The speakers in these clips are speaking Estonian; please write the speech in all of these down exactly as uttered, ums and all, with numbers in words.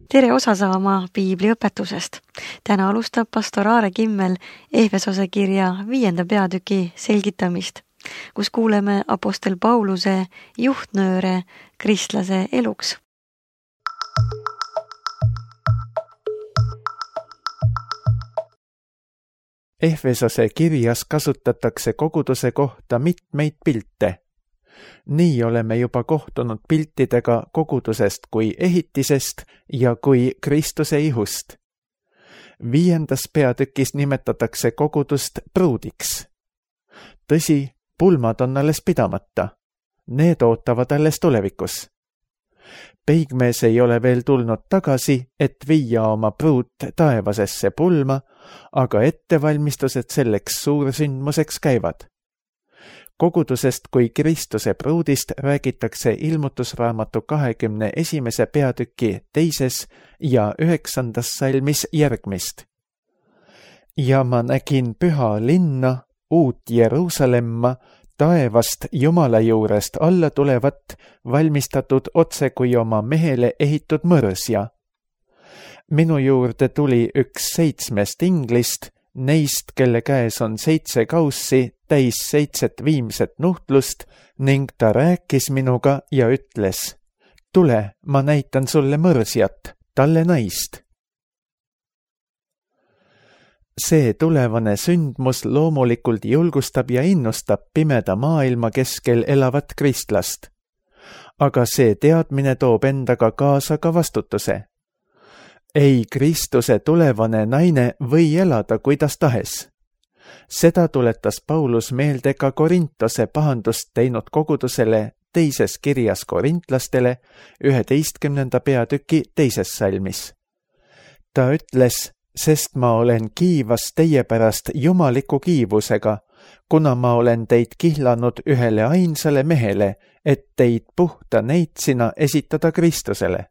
Tere osa saama piibliõpetusest. Täna alustab pastor Aare Kimmel Ehvesose kirja viienda peatüki selgitamist, kus kuuleme apostel Pauluse juhtnööre kristlase eluks. Ehvesose kirjas kasutatakse koguduse kohta mitmeid pilte. Nii oleme juba kohtunud piltidega kogudusest kui ehitisest ja kui Kristuse ihust. Viiendas peatükis nimetatakse kogudust pruudiks. Tõsi, pulmad on alles pidamata. Need ootavad alles tulevikus. Peigmees ei ole veel tulnud tagasi, et viia oma pruut taevasesse pulma, aga ettevalmistused selleks suursündmuseks käivad. Kogudusest kui Kristuse pruudist räägitakse ilmutusraamatu kahekümne esimese peatüki teises ja üheksandas salmis järgmist. Ja ma nägin püha linna, uut Jeruusalemma, taevast Jumala juurest alla tulevat, valmistatud otse kui oma mehele ehitud mõrsja. Minu juurde tuli üks seitsmest inglist, neist, kelle käes on seitse kaussi, täis seitset viimset nuhtlust, ning ta rääkis minuga ja ütles: tule, ma näitan sulle mõrsjat, talle naist. See tulevane sündmus loomulikult julgustab ja innustab pimeda maailma keskel elavat kristlast. Aga see teadmine toob endaga kaasa ka vastutuse. Ei Kristuse tulevane naine või elada kuidas tahes. Seda tuletas Paulus meelde ka Korintose pahandust teinud kogudusele teises kirjas korintlastele üheteistkümnenda peatüki teises salmis. Ta ütles: sest ma olen kiivas teie pärast jumaliku kiivusega, kuna ma olen teid kihlanud ühele ainsale mehele, et teid puhta neitsina esitada Kristusele.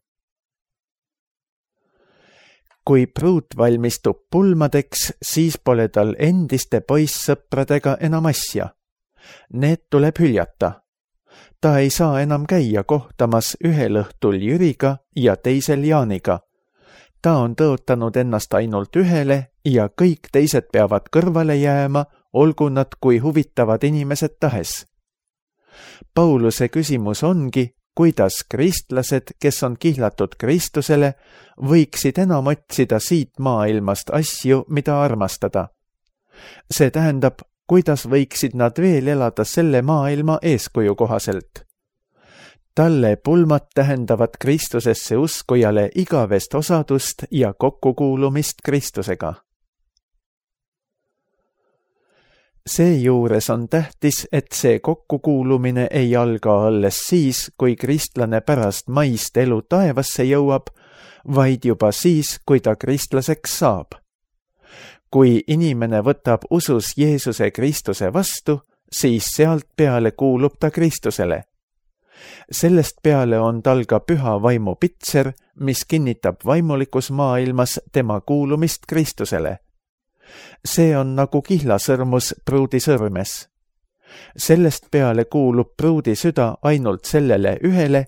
Kui pruut valmistub pulmadeks, siis pole tal endiste poissõpradega enam asja. Need tuleb hüljata. Ta ei saa enam käia kohtamas ühel õhtul Jüriga ja teisel Jaaniga. Ta on tõotanud ennast ainult ühele ja kõik teised peavad kõrvale jääma, olgu nad kui huvitavad inimesed tahes. Pauluse küsimus ongi, kuidas kristlased, kes on kihlatud Kristusele, võiksid enam otsida siit maailmast asju, mida armastada. See tähendab, kuidas võiksid nad veel elada selle maailma eeskuju kohaselt. Talle pulmad tähendavad Kristusesse uskujale igavest osadust ja kokkukuulumist Kristusega. Seejuures on tähtis, et see kokkukuulumine ei alga alles siis, kui kristlane pärast maist elu taevasse jõuab, vaid juba siis, kui ta kristlaseks saab. Kui inimene võtab usus Jeesuse Kristuse vastu, siis sealt peale kuulub ta Kristusele. Sellest peale on tal ka püha vaimu pitser, mis kinnitab vaimulikus maailmas tema kuulumist Kristusele. See on nagu kihlasõrmus pruudi sõrmes. Sellest peale kuulub pruudi süda ainult sellele ühele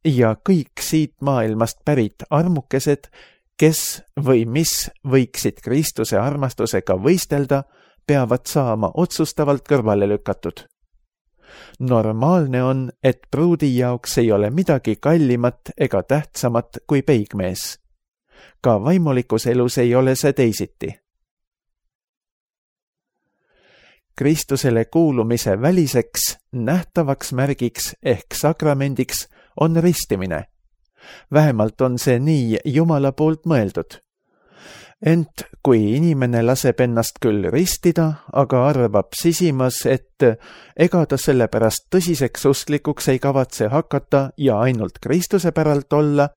ja kõik siit maailmast pärit armukesed, kes või mis võiksid Kristuse armastusega võistelda, peavad saama otsustavalt kõrvale lükatud. Normaalne on, et pruudi jaoks ei ole midagi kallimat ega tähtsamat kui peigmees. Ka vaimulikus elus ei ole see teisiti. Kristusele kuulumise väliseks, nähtavaks märgiks ehk sakramendiks on ristimine. Vähemalt on see nii Jumala poolt mõeldud. Ent kui inimene laseb ennast küll ristida, aga arvab sisimas, et ega ta selle pärast tõsiseks usklikuks ei kavatse hakata ja ainult Kristuse päralt olla,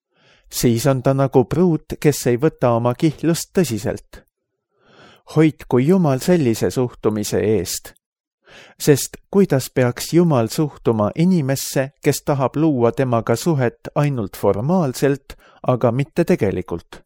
siis on ta nagu pruut, kes ei võta oma kihlust tõsiselt. Hoidku Jumal sellise suhtumise eest. Sest kuidas peaks Jumal suhtuma inimesse, kes tahab luua temaga suhet ainult formaalselt, aga mitte tegelikult?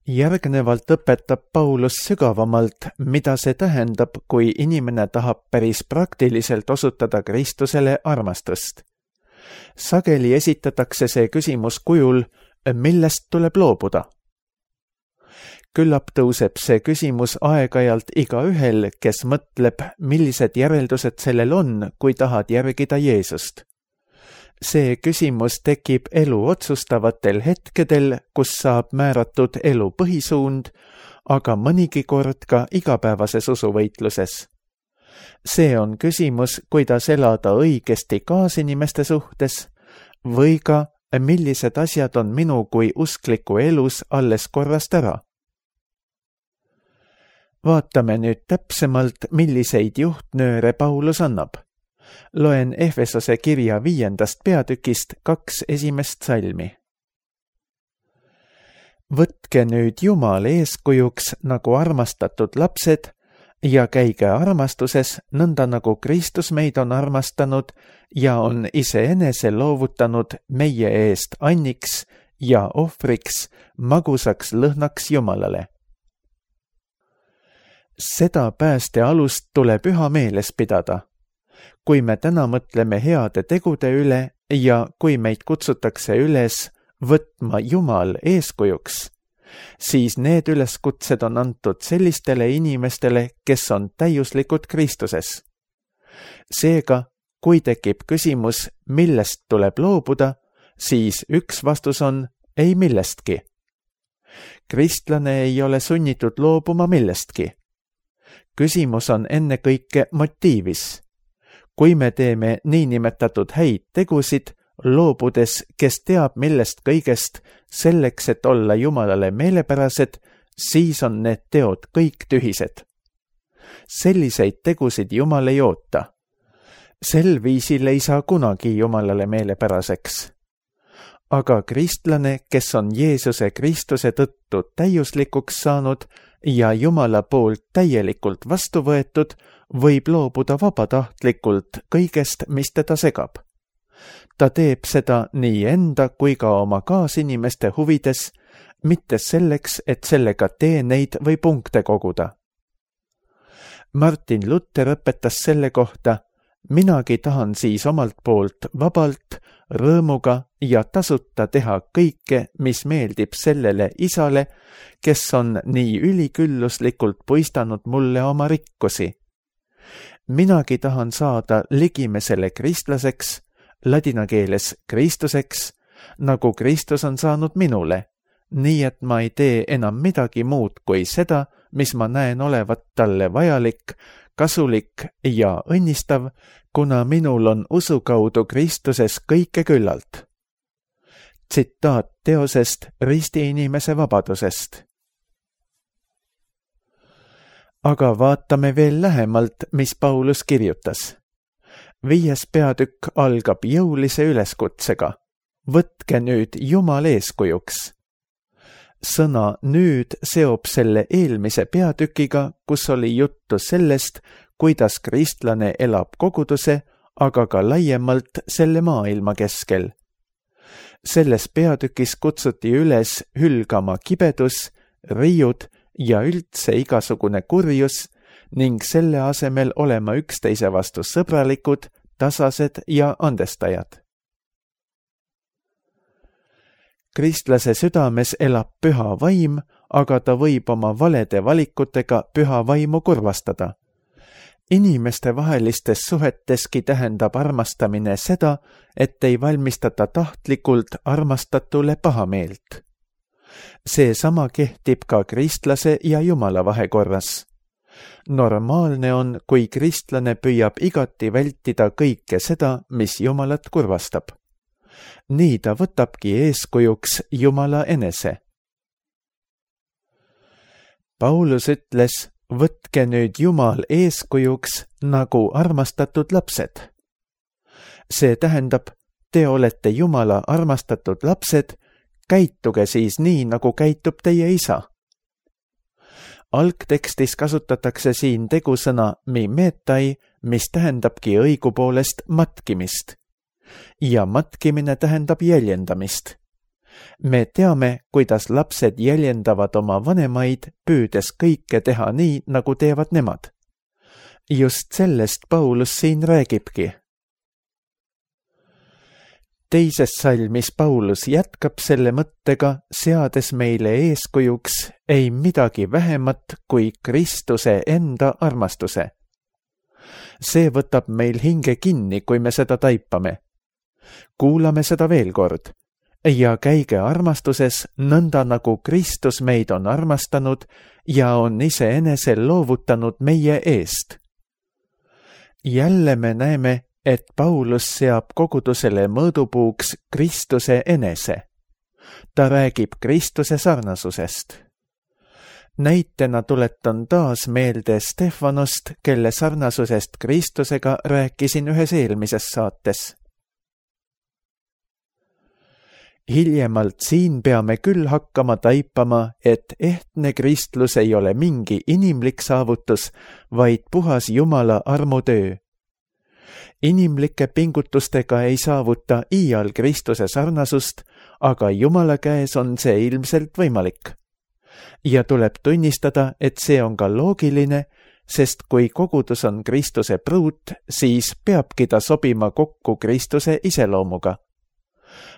Järgnevalt õpetab Paulus sügavamalt, mida see tähendab, kui inimene tahab päris praktiliselt osutada Kristusele armastust. Sageli esitatakse see küsimus kujul, millest tuleb loobuda. Küllap tõuseb see küsimus aeg-ajalt igaühel, kes mõtleb, millised järeldused sellel on, kui tahad järgida Jeesust. See küsimus tekib elu otsustavatel hetkedel, kus saab määratud elu põhisuund, aga mõnigi kord ka igapäevases usuvõitluses. See on küsimus, kuidas elada õigesti kaasinimeste suhtes või ka, millised asjad on minu kui uskliku elus alles korrast ära. Vaatame nüüd täpsemalt, milliseid juhtnööre Paulus annab. Loen Efesose kirja viiendast peatükist kaks esimest salmi. Võtke nüüd Jumal eeskujuks nagu armastatud lapsed ja käige armastuses, nõnda nagu Kristus meid on armastanud ja on iseenese loovutanud meie eest anniks ja ohvriks, magusaks lõhnaks Jumalale. Seda pääste alust tuleb üha meeles pidada. Kui me täna mõtleme heade tegude üle ja kui meid kutsutakse üles võtma Jumal eeskujuks, siis need üleskutsed on antud sellistele inimestele, kes on täiuslikud Kristuses. Seega, kui tekib küsimus, millest tuleb loobuda, siis üks vastus on ei millestki. Kristlane ei ole sunnitud loobuma millestki. Küsimus on ennekõike motiivis. Kui me teeme niinimetatud häid tegusid, loobudes, kes teab millest kõigest, selleks, et olla Jumalale meelepärased, siis on need teod kõik tühised. Selliseid tegusid Jumal ei oota. Sel viisil ei saa kunagi Jumalale meelepäraseks. Aga kristlane, kes on Jeesuse Kristuse tõttu täiuslikuks saanud ja Jumala poolt täielikult vastu võetud, võib loobuda vabatahtlikult kõigest, mis teda segab. Ta teeb seda nii enda kui ka oma kaasinimeste huvides, mitte selleks, et sellega teeneid või punkte koguda. Martin Luther õpetas selle kohta, minagi tahan siis omalt poolt vabalt, rõõmuga ja tasuta teha kõike, mis meeldib sellele isale, kes on nii ülikülluslikult puistanud mulle oma rikkusi. Minagi tahan saada ligimesele kristlaseks, ladina keeles Kristuseks, nagu Kristus on saanud minule, nii et ma ei tee enam midagi muud kui seda, mis ma näen olevat talle vajalik, kasulik ja õnnistav, kuna minul on usu kaudu Kristuses kõike küllalt. Tsitaat teosest Risti inimese vabadusest. Aga vaatame veel lähemalt, mis Paulus kirjutas. Viies peatükk algab jõulise üleskutsega. Võtke nüüd Jumal eeskujuks. Sõna nüüd seob selle eelmise peatükiga, kus oli juttu sellest, kuidas kristlane elab koguduse, aga ka laiemalt selle maailma keskel. Selles peatükis kutsuti üles hülgama kibedus, riiud ja üldse igasugune kurjus ning selle asemel olema üksteise vastu sõbralikud, tasased ja andestajad. Kristlase südames elab püha vaim, aga ta võib oma valede valikutega püha vaimu kurvastada. Inimeste vahelistes suheteski tähendab armastamine seda, et ei valmistata tahtlikult armastatule pahameelt. Seesama kehtib ka kristlase ja Jumala vahekorras. Normaalne on, kui kristlane püüab igati vältida kõike seda, mis Jumalat kurvastab. Nii ta võtabki eeskujuks Jumala enese. Paulus ütles, võtke nüüd Jumal eeskujuks nagu armastatud lapsed. See tähendab, te olete Jumala armastatud lapsed, käituge siis nii, nagu käitub teie isa. Algtekstis kasutatakse siin tegusõna mimetai, mis tähendabki õigupoolest matkimist. Ja matkimine tähendab jäljendamist. Me teame, kuidas lapsed jäljendavad oma vanemaid, püüdes kõike teha nii, nagu teevad nemad. Just sellest Paulus siin räägibki. Teises salmis Paulus jätkab selle mõttega, seades meile eeskujuks ei midagi vähemat kui Kristuse enda armastuse. See võtab meil hinge kinni, kui me seda taipame. Kuulame seda veel kord ja käige armastuses nõnda, nagu Kristus meid on armastanud ja on iseenesel loovutanud meie eest. Jälle me näeme, et Paulus seab kogudusele mõõdupuuks Kristuse enese. Ta räägib Kristuse sarnasusest. Näitena tuletan taas meelde Stefanost, kelle sarnasusest Kristusega rääkisin ühes eelmises saates. Hiljemalt siin peame küll hakkama taipama, et ehtne kristlus ei ole mingi inimlik saavutus, vaid puhas Jumala armutöö. Inimlike pingutustega ei saavuta iial Kristuse sarnasust, aga Jumala käes on see ilmselt võimalik. Ja tuleb tunnistada, et see on ka loogiline, sest kui kogudus on Kristuse pruut, siis peabki ta sobima kokku Kristuse iseloomuga.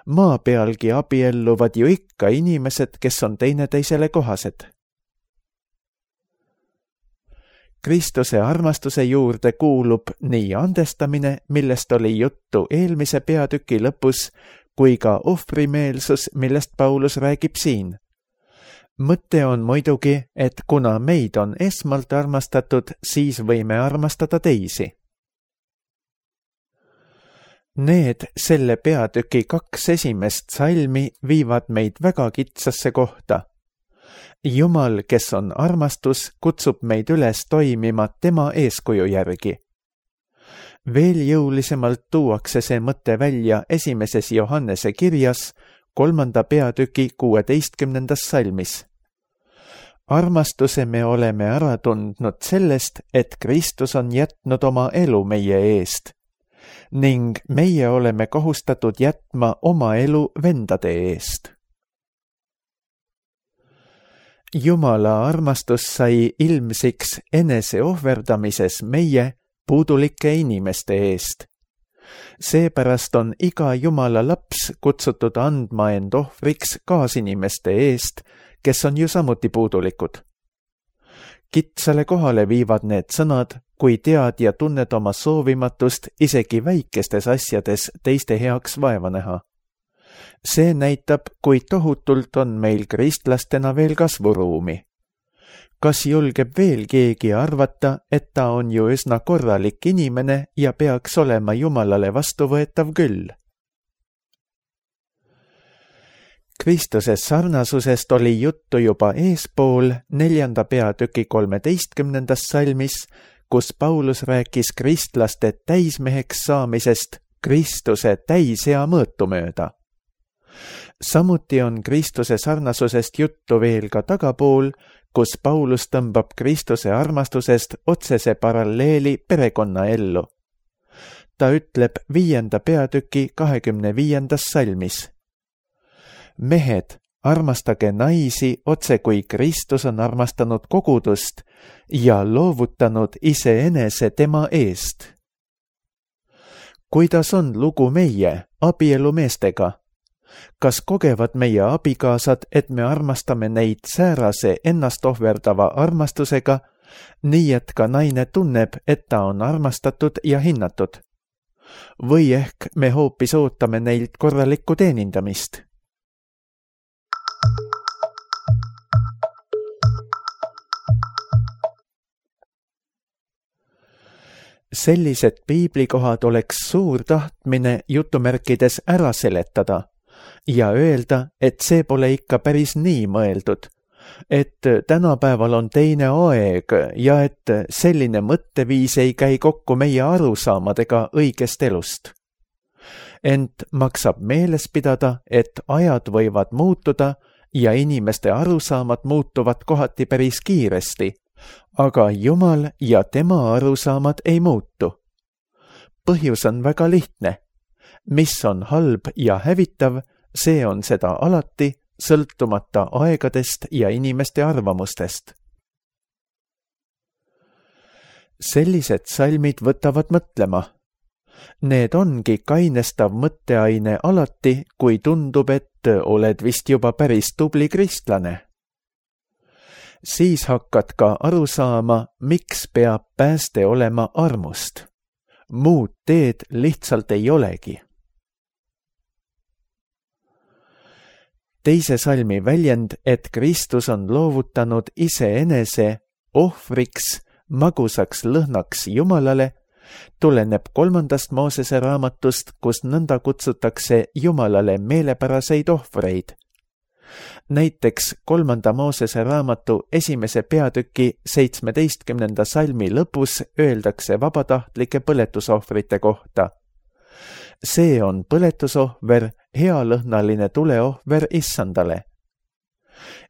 Maa pealgi abielluvad ju ikka inimesed, kes on teineteisele kohased. Kristuse armastuse juurde kuulub nii andestamine, millest oli juttu eelmise peatüki lõpus, kui ka ohvrimeelsus, millest Paulus räägib siin. Mõte on muidugi, et kuna meid on esmalt armastatud, siis võime armastada teisi. Need selle peatüki kaks esimest salmi viivad meid väga kitsasse kohta. Jumal, kes on armastus, kutsub meid üles toimima tema eeskuju järgi. Veel jõulisemalt tuuakse see mõte välja esimeses Johannese kirjas, kolmanda peatüki kuueteistkümnendas salmis. Armastuse me oleme ära tundnud sellest, et Kristus on jätnud oma elu meie eest, ning meie oleme kohustatud jätma oma elu vendade eest. Jumala armastus sai ilmsiks enese ohverdamises meie puudulike inimeste eest. Seepärast on iga Jumala laps kutsutud andma end ohvriks kaasinimeste eest, kes on ju samuti puudulikud. Kitsale kohale viivad need sõnad, kui tead ja tunned oma soovimatust isegi väikestes asjades teiste heaks vaeva näha. See näitab, kui tohutult on meil kristlastena veel kasvuruumi. Kas julgeb veel keegi arvata, et ta on ju üsna korralik inimene ja peaks olema Jumalale vastuvõetav küll? Kristuse sarnasusest oli juttu juba eespool neljanda peatüki kolmeteistkümnendas salmis, kus Paulus rääkis kristlaste täismeheks saamisest Kristuse täisea mõõtu mööda. Samuti on Kristuse sarnasusest juttu veel ka tagapool, kus Paulus tõmbab Kristuse armastusest otsese paralleeli perekonna ellu. Ta ütleb viienda peatüki kahekümne viiendas salmis. Mehed, armastage naisi otse kui Kristus on armastanud kogudust ja loovutanud iseenese tema eest. Kuidas on lugu meie, abielumeestega? Kas kogevad meie abikaasad, et me armastame neid säärase ennast ohverdava armastusega, nii et ka naine tunneb, et ta on armastatud ja hinnatud? Või ehk me hoopis ootame neilt korralikku teenindamist? Sellised piiblikohad oleks suur tahtmine jutumärkides ära seletada ja öelda, et see pole ikka päris nii mõeldud, et tänapäeval on teine aeg ja et selline mõtteviis ei käi kokku meie arusaamadega õigest elust. Ent maksab meeles pidada, et ajad võivad muutuda ja inimeste arusaamad muutuvad kohati päris kiiresti, aga Jumal ja tema arusaamad ei muutu. Põhjus on väga lihtne. Mis on halb ja hävitav, see on seda alati, sõltumata aegadest ja inimeste arvamustest. Sellised salmid võtavad mõtlema. Need ongi kainestav mõtteaine alati, kui tundub, et oled vist juba päris tubli kristlane. Siis hakkad ka aru saama, miks peab pääste olema armust. Muud teed lihtsalt ei olegi. Teise salmi väljend, et Kristus on loovutanud iseenese ohvriks, magusaks lõhnaks Jumalale, tuleneb kolmandast Moosese raamatust, kus nõnda kutsutakse Jumalale meelepäraseid ohvreid. Näiteks kolmanda Moosese raamatu esimese peatüki seitsmeteistkümnenda salmi lõpus öeldakse vabatahtlike põletusohvrite kohta. See on põletusohver, healõhnaline tuleohver issandale.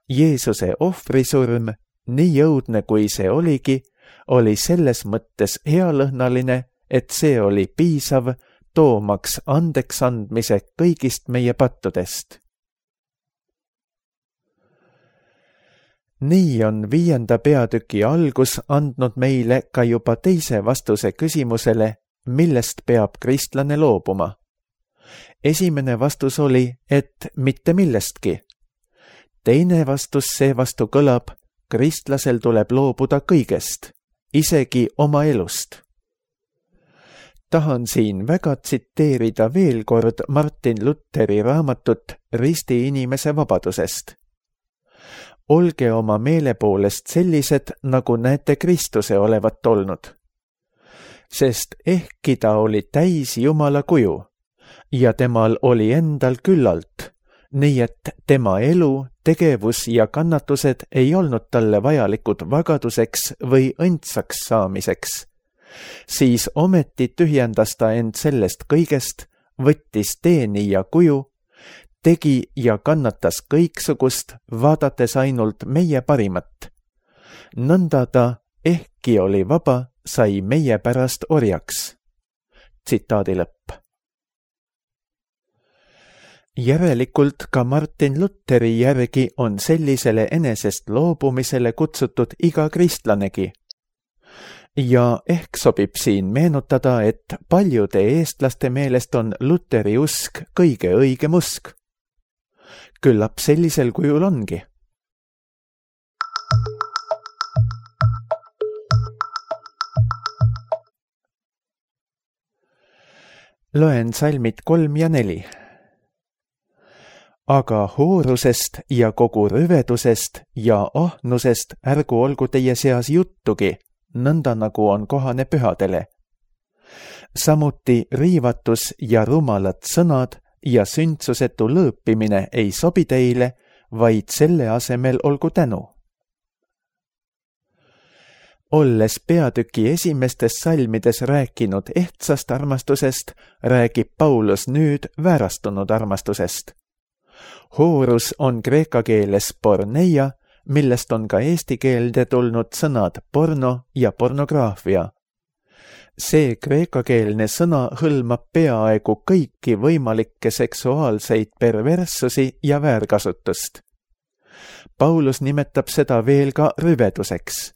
Jeesuse ohvrisurm, nii jõudne kui see oligi, oli selles mõttes healõhnaline, et see oli piisav, toomaks andeks andmise kõigist meie pattudest. Nii on viienda peatüki algus andnud meile ka juba teise vastuse küsimusele, millest peab kristlane loobuma. Esimene vastus oli, et mitte millestki. Teine vastus seevastu kõlab, kristlasel tuleb loobuda kõigest, isegi oma elust. Tahan siin väga tsiteerida veel kord Martin Lutheri raamatut Risti inimese vabadusest. Olge oma meele poolest sellised, nagu näete Kristuse olevat olnud. Sest ehkki ta oli täis Jumala kuju ja temal oli endal küllalt, nii et tema elu, tegevus ja kannatused ei olnud talle vajalikud vagaduseks või õndsaks saamiseks, siis ometi tühjendas ta end sellest kõigest, võttis teenija kuju, tegi ja kannatas kõiksugust, vaadates ainult meie parimat. Nõnda ta, ehkki oli vaba, sai meie pärast orjaks. Tsitaadi lõpp. Järelikult ka Martin Lutheri järgi on sellisele enesest loobumisele kutsutud iga kristlanegi. Ja ehk sobib siin meenutada, et paljude eestlaste meelest on Lutheri usk kõige õigem usk. Küllap sellisel kujul ongi. Loen salmid kolm ja neli. Aga hoorusest ja kogu rüvedusest ja ahnusest ärgu olgu teie seas juttugi, nõnda nagu on kohane pühadele. Samuti riivatus ja rumalad sõnad ja sündsusetu lõõpimine ei sobi teile, vaid selle asemel olgu tänu. Olles peatüki esimestes salmides rääkinud ehtsast armastusest, räägib Paulus nüüd väärastunud armastusest. Hoorus on kreeka keeles porneia, millest on ka eesti keelde tulnud sõnad porno ja pornograafia. See kreekakeelne sõna hõlmab peaaegu kõiki võimalikke seksuaalseid perverssusi ja väärkasutust. Paulus nimetab seda veel ka rüveduseks.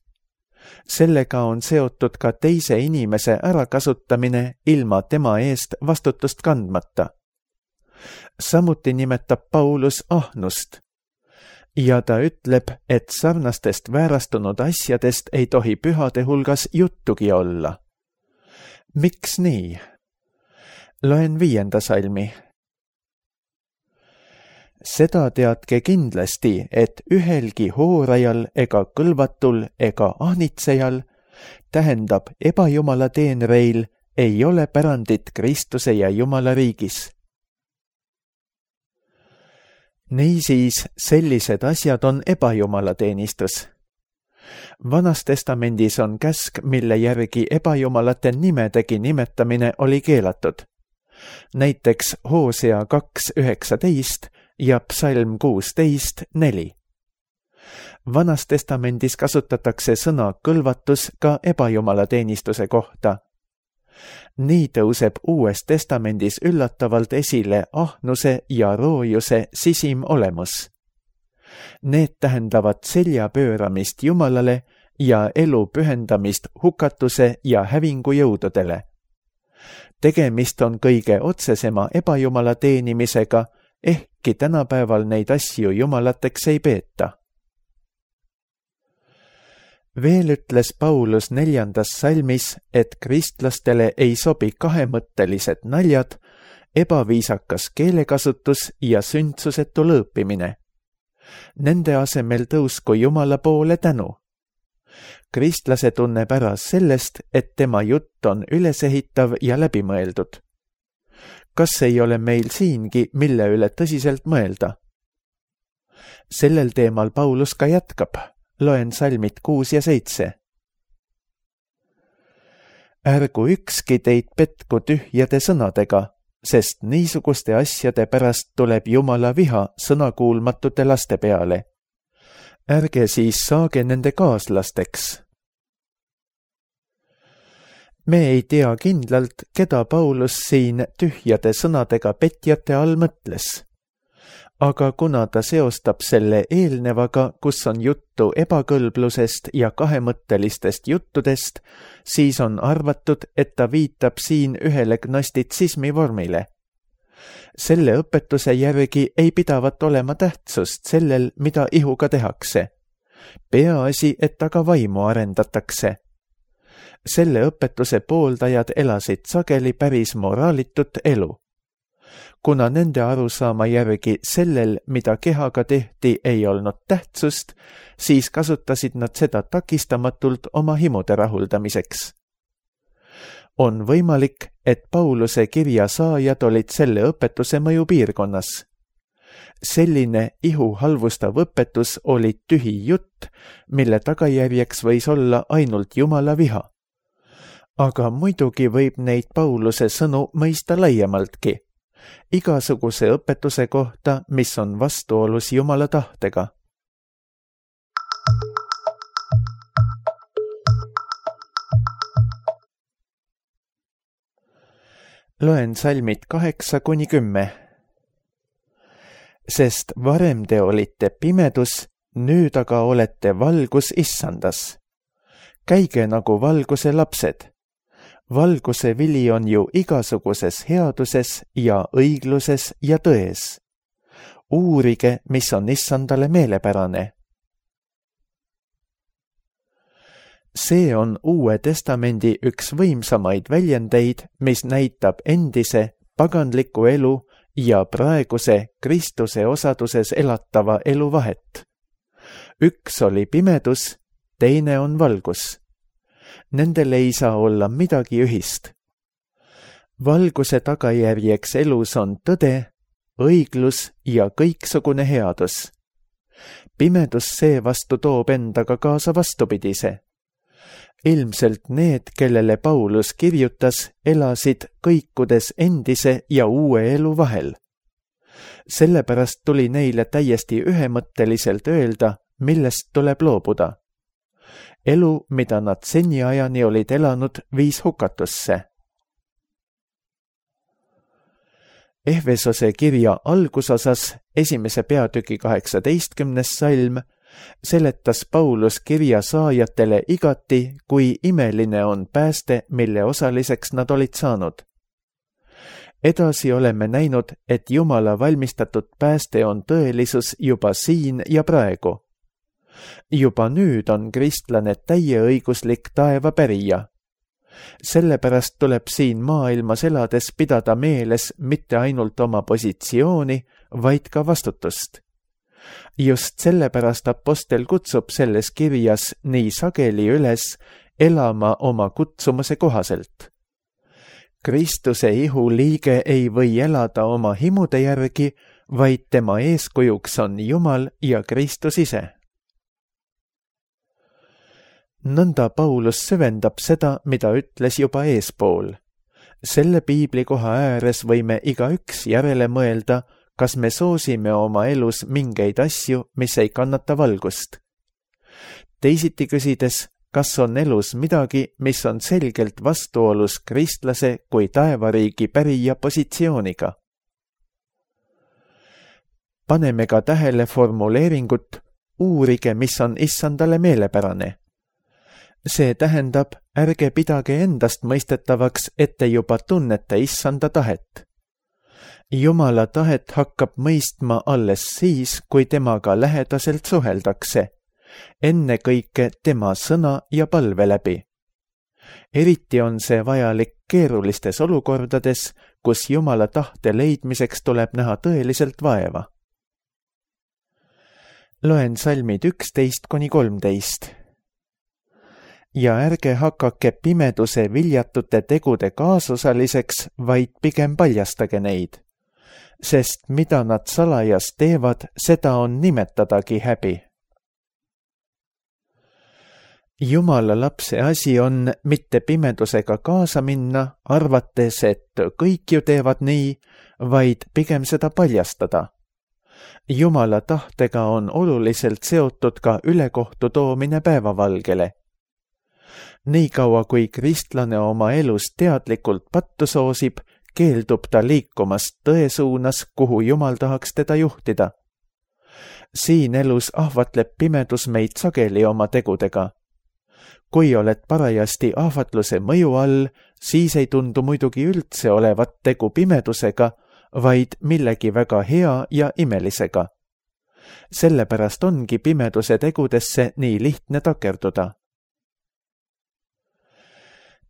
Sellega on seotud ka teise inimese ärakasutamine ilma tema eest vastutust kandmata. Samuti nimetab Paulus ahnust. Ja ta ütleb, et sarnastest väärastunud asjadest ei tohi pühade hulgas juttugi olla. Miks nii? Loen viienda salmi. Seda teadke kindlasti, et ühelgi hoorajal ega kõlvatul ega ahnitsejal, tähendab ebajumala teenreil, ei ole pärandit Kristuse ja Jumala riigis. Niisiis, sellised asjad on ebajumala teenistus. Vanas testamendis on käsk, mille järgi ebajumalate nimedegi nimetamine oli keelatud. Näiteks Hoosea kaks üheksateist ja Psalm kuusteist neli. Vanas testamendis kasutatakse sõna kõlvatus ka ebajumala teenistuse kohta. nii tõuseb Uues Testamendis üllatavalt esile ahnuse ja roojuse sisim olemus. Need tähendavad selja pööramist Jumalale ja elu pühendamist hukatuse ja hävingu jõududele. Tegemist on kõige otsesema ebajumala teenimisega, ehkki tänapäeval neid asju jumalateks ei peeta. Veel ütles Paulus neljandas salmis, et kristlastele ei sobi kahemõttelised naljad, ebaviisakas keelekasutus ja sündsusetu lõõpimine. Nende asemel tõusku Jumala poole tänu. Kristlase tunneb ära sellest, et tema jutt on ülesehitav ja läbimõeldud. Kas ei ole meil siingi, mille üle tõsiselt mõelda? Sellel teemal Paulus ka jätkab. Loen salmid kuus ja seitse. Ärgu ükski teid petku tühjade sõnadega, sest niisuguste asjade pärast tuleb Jumala viha sõnakuulmatute laste peale. Ärge siis saage nende kaaslasteks. Me ei tea kindlalt, keda Paulus siin tühjade sõnadega petjate all mõtles. Aga kuna ta seostab selle eelnevaga, kus on juttu ebakõlblusest ja kahemõttelistest juttudest, siis on arvatud, et ta viitab siin ühele gnostitsismi vormile. Selle õpetuse järgi ei pidavat olema tähtsust sellel, mida ihuga tehakse. Peaasi, et aga vaimu arendatakse. Selle õpetuse pooldajad elasid sageli päris moraalitut elu. Kuna nende arusaama järgi sellel, mida kehaga tehti, ei olnud tähtsust, siis kasutasid nad seda takistamatult oma himude rahuldamiseks. On võimalik, et Pauluse kirja saajad olid selle õpetuse mõjupiirkonnas. Selline ihu halvustav õpetus oli tühi jutt, mille tagajärjeks võis olla ainult Jumala viha. Aga muidugi võib neid Pauluse sõnu mõista laiemaltki. Igasuguse õpetuse kohta, mis on vastuolus Jumala tahtega. Loen salmid kaheksa kuni kümme. Sest varem te olite pimedus, nüüd aga olete valgus issandas. Käige nagu valguse lapsed. Valguse vili on ju igasuguses headuses ja õigluses ja tões. Uurige, mis on issandale meelepärane. See on Uue Testamendi üks võimsamaid väljendeid, mis näitab endise paganliku elu ja praeguse Kristuse osaduses elatava elu vahet. Üks oli pimedus, teine on valgus. Nendel ei saa olla midagi ühist. Valguse tagajärjeks elus on tõde, õiglus ja kõiksugune headus. Pimedus seevastu toob endaga kaasa vastupidise. Ilmselt need, kellele Paulus kirjutas, elasid kõikudes endise ja uue elu vahel. Sellepärast tuli neile täiesti ühemõtteliselt öelda, millest tuleb loobuda. Elu, mida nad seniajani olid elanud, viis hukatusse. Ehvesose kirja algusosas, esimese peatüki kaheksateistkümnes salm, seletas Paulus kirja saajatele igati, kui imeline on pääste, mille osaliseks nad olid saanud. Edasi oleme näinud, et Jumala valmistatud pääste on tõelisus juba siin ja praegu. Juba nüüd on kristlane täieõiguslik taevapärija. Sellepärast tuleb siin maailmas elades pidada meeles mitte ainult oma positsiooni, vaid ka vastutust. Just sellepärast apostel kutsub selles kirjas nii sageli üles elama oma kutsumuse kohaselt. Kristuse ihu liige ei või elada oma himude järgi, vaid tema eeskujuks on Jumal ja Kristus ise. Nõnda Paulus süvendab seda, mida ütles juba eespool. Selle piiblikoha ääres võime igaüks järele mõelda, kas me soosime oma elus mingeid asju, mis ei kannata valgust. Teisiti küsides, kas on elus midagi, mis on selgelt vastuolus kristlase kui taevariigi pärija positsiooniga. Paneme ka tähele formuleeringut uurige, mis on issandale meelepärane. See tähendab, ärge pidage endast mõistetavaks, et te juba tunnete issanda tahet. Jumala tahet hakkab mõistma alles siis, kui temaga lähedaselt suheldakse, ennekõike tema sõna ja palve läbi. Eriti on see vajalik keerulistes olukordades, kus Jumala tahte leidmiseks tuleb näha tõeliselt vaeva. Loen salmid üksteist kuni kolmteist. Ja ärge hakake pimeduse viljatute tegude kaasosaliseks, vaid pigem paljastage neid, sest mida nad salajas teevad, seda on nimetadagi häbi. Jumala lapse asi on mitte pimedusega kaasa minna, arvates, et kõik ju teevad nii, vaid pigem seda paljastada. Jumala tahtega on oluliselt seotud ka ülekohtu toomine päevavalgele. Nii kaua, kui kristlane oma elus teadlikult pattu soosib, keeldub ta liikumast tõe suunas, kuhu Jumal tahaks teda juhtida. Siin elus ahvatleb pimedus meid sageli oma tegudega. Kui oled parajasti ahvatluse mõju all, siis ei tundu muidugi üldse olevat tegu pimedusega, vaid millegi väga hea ja imelisega. Sellepärast ongi pimeduse tegudesse nii lihtne takerduda.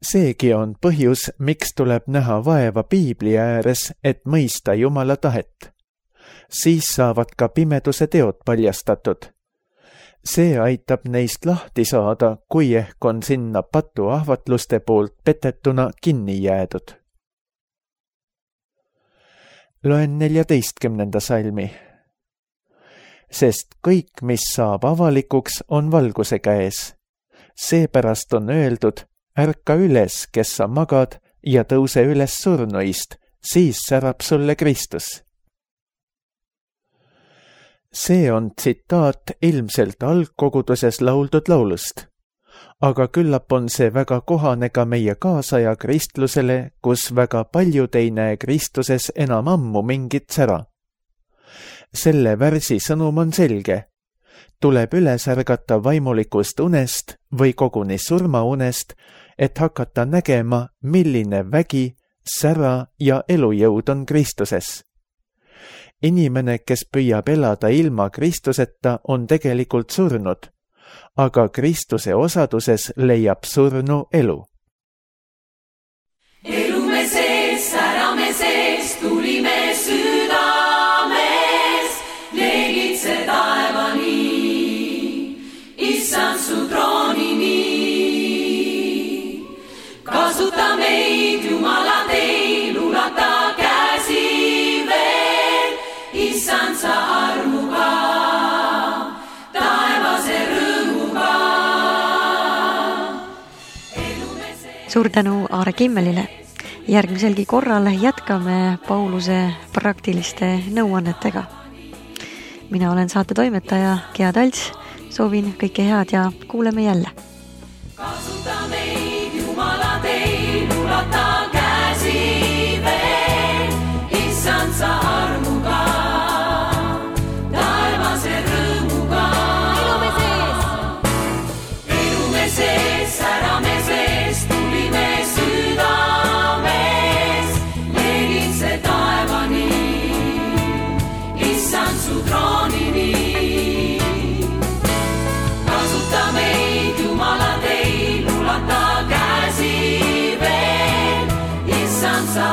Seegi on põhjus, miks tuleb näha vaeva piibli ääres, et mõista Jumala tahet. Siis saavad ka pimeduse teod paljastatud. See aitab neist lahti saada, kui ehk on sinna patu ahvatluste poolt petetuna kinni jäädud. Loen neljateistkümnenda salmi. Sest kõik, mis saab avalikuks, on valguse käes. Seepärast on öeldud, ärka üles, kes sa magad, ja tõuse üles surnuist, siis särab sulle Kristus. See on tsitaat ilmselt algkoguduses lauldud laulust, aga küllap on see väga kohane ka meie kaasaja kristlusele, kus väga paljud ei näe Kristuses enam ammu mingit sära. Selle värsi sõnum on selge. Tuleb üles ärgata vaimulikust unest või koguni surmaunest, et hakata nägema, milline vägi, sära ja elujõud on Kristuses. Inimene, kes püüab elada ilma Kristuseta, on tegelikult surnud, aga Kristuse osaduses leiab surnu elu. Elume sees, särame sees, tulime südames, leegitse taevani, issand su troonini. Kasuta meid, Jumala teil, ulata käsi veel, issand sa armuga, taevase rõõmuga. Suur tänu Aare Kimmelile. Järgmiselgi korral jätkame Pauluse praktiliste nõuannetega. Mina olen saate toimetaja Gea Talts, soovin kõike head ja kuuleme jälle. Kasuta meid, Jumala teil, ulata käsi veel, issand sa armuga, taevase rõõmuga. Elume sees, elume sees, särame sees, tulime südames, leegitse taevani, issand su troonini. Kasuta meid, Jumala teil, ulata käsi veel, issand sa